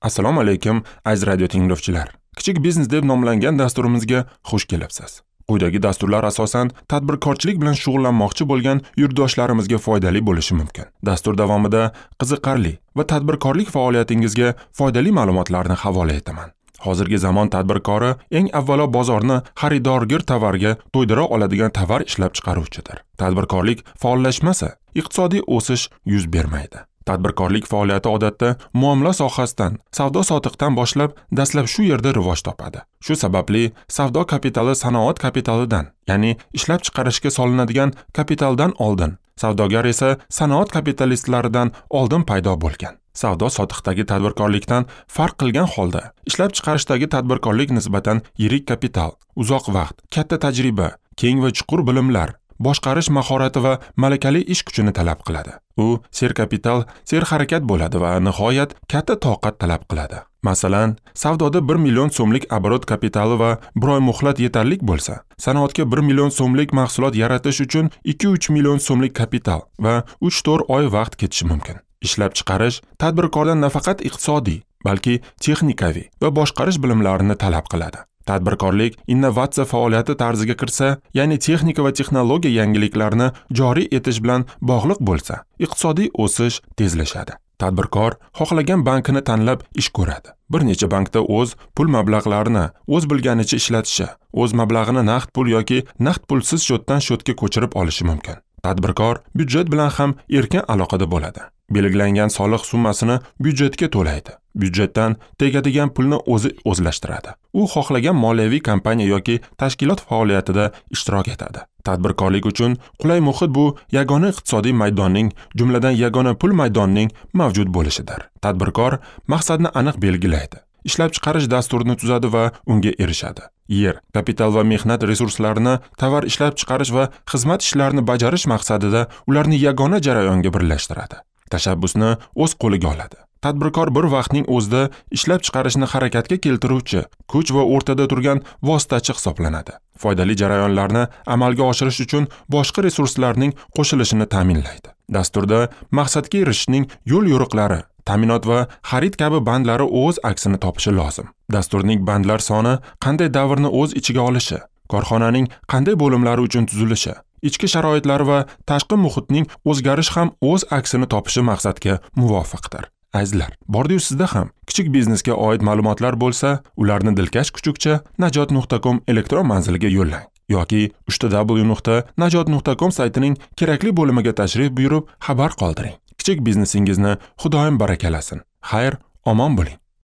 Assalomu alaykum, aziz radio tinglovchilar. Kichik biznes deb nomlangan dasturimizga xush kelibsiz. Quyidagi dasturlar asosan tadbirkorchilik bilan shug'ullanmoqchi bo'lgan yurtdoshlarimizga foydali bo'lishi mumkin. Dastur davomida qiziqarli va tadbirkorlik faoliyatingizga foydali ma'lumotlarni havola etaman. Hozirgi zamon tadbirkori eng avvalo bozorni xaridorgir tovarga to'ydira oladigan tovar ishlab chiqaruvchidir. Tadbirkorlik faollashmasa, iqtisodiy o'sish yuz bermaydi. Tadbirkorlik faoliyati odatda muomala sohasidan, savdo-sotiqdan boshlab dastlab shu yerda rivoj topadi. Shu sababli savdo kapitali sanoat kapitalidan, ya'ni ishlab chiqarishga solinadigan kapitaldan oldin, savdogar esa sanoat kapitalistlaridan oldin paydo bo'lgan. Savdo-sotiqdagi tadbirkorlikdan farq qilgan holda, ishlab chiqarishdagi tadbirkorlik nisbatan yirik kapital, uzoq vaqt, katta tajriba, keng va chuqur bilimlar, boshqarish mahorati va malakali ish kuchini talab qiladi. U serkapital, serharakat bo'ladi va nihoyat katta toqat talab qiladi. Masalan, savdoda 1 million so'mlik оборот kapitali va bir oy muhlat yetarli bo'lsa, sanoatga 1 million so'mlik mahsulot yaratish uchun 2-3 million so'mlik kapital va 3-4 oy vaqt ketishi mumkin. Ishlab chiqarish tadbirkordan nafaqat iqtisodiy, balki texnikaviy va boshqarish bilimlarini talab qiladi. Tadbirkorlik innovatsiya faoliyati tarziga kirsa, ya'ni texnika va texnologiya yangiliklarini joriy etish bilan bog'liq bo'lsa, iqtisodiy o'sish tezlashadi. Tadbirkor xohlagan bankini tanlab ish ko'radi. Bir necha bankda o'z pul mablag'larini o'z bilganicha ishlatishi, o'z mablag'ini naqd pul yoki naqd pulsiz счётdan счётga ko'chirib olishi mumkin. Tadbirkor byudjet bilan ham erkin aloqada bo'ladi. Belgilangan soliq summasini byudjetga to'laydi. Byudjetdan tegadigan pulni o'zi o'zlashtiradi. U xohlagan moliyaviy kompaniya yoki tashkilot faoliyatida ishtirok etadi. Tadbirkorlik uchun qulay muhit bu yagona iqtisodiy maydonning, jumladan yagona pul maydonining mavjud bo'lishidir. Tadbirkor maqsadni aniq belgilaydi. Ishlab chiqarish dasturini tuzadi va unga erishadi. Yer, kapital va mehnat resurslarini tovar ishlab chiqarish va xizmat ishlarini bajarish maqsadida ularni yagona jarayonga birlashtiradi. Tashabbusni o'z qo'liga oladi. Tadbirkor bir vaqtning o'zida ishlab chiqarishni harakatga keltiruvchi kuch va o'rtada turgan vositachi hisoblanadi. Foydali jarayonlarni amalga oshirish uchun boshqa resurslarning qo'shilishini ta'minlaydi. Dasturda maqsadga erishishning yo'l-yo'riqlari, ta'minot va xarid kabi bandlari o'z aksini topishi lozim. Dasturning bandlar soni qanday davrni o'z ichiga olishi, korxonaning qanday bo'limlari uchun tuzilishi, ichki sharoitlar va tashqi muhitning o'zgarishi ham o'z aksini topishi maqsadga muvofiqdir. Azizlar, bordi-yu sizda ham kichik biznesga oid ma'lumotlar bo'lsa, ularni dilkash kuchukcha najot.com elektron manziliga yo'llang yoki www.najot.com saytining kerakli bo'limiga tashrif buyurib xabar qoldiring. Kichik biznesingizni Xudoyim barakalasin. Xayr, omon bo'ling.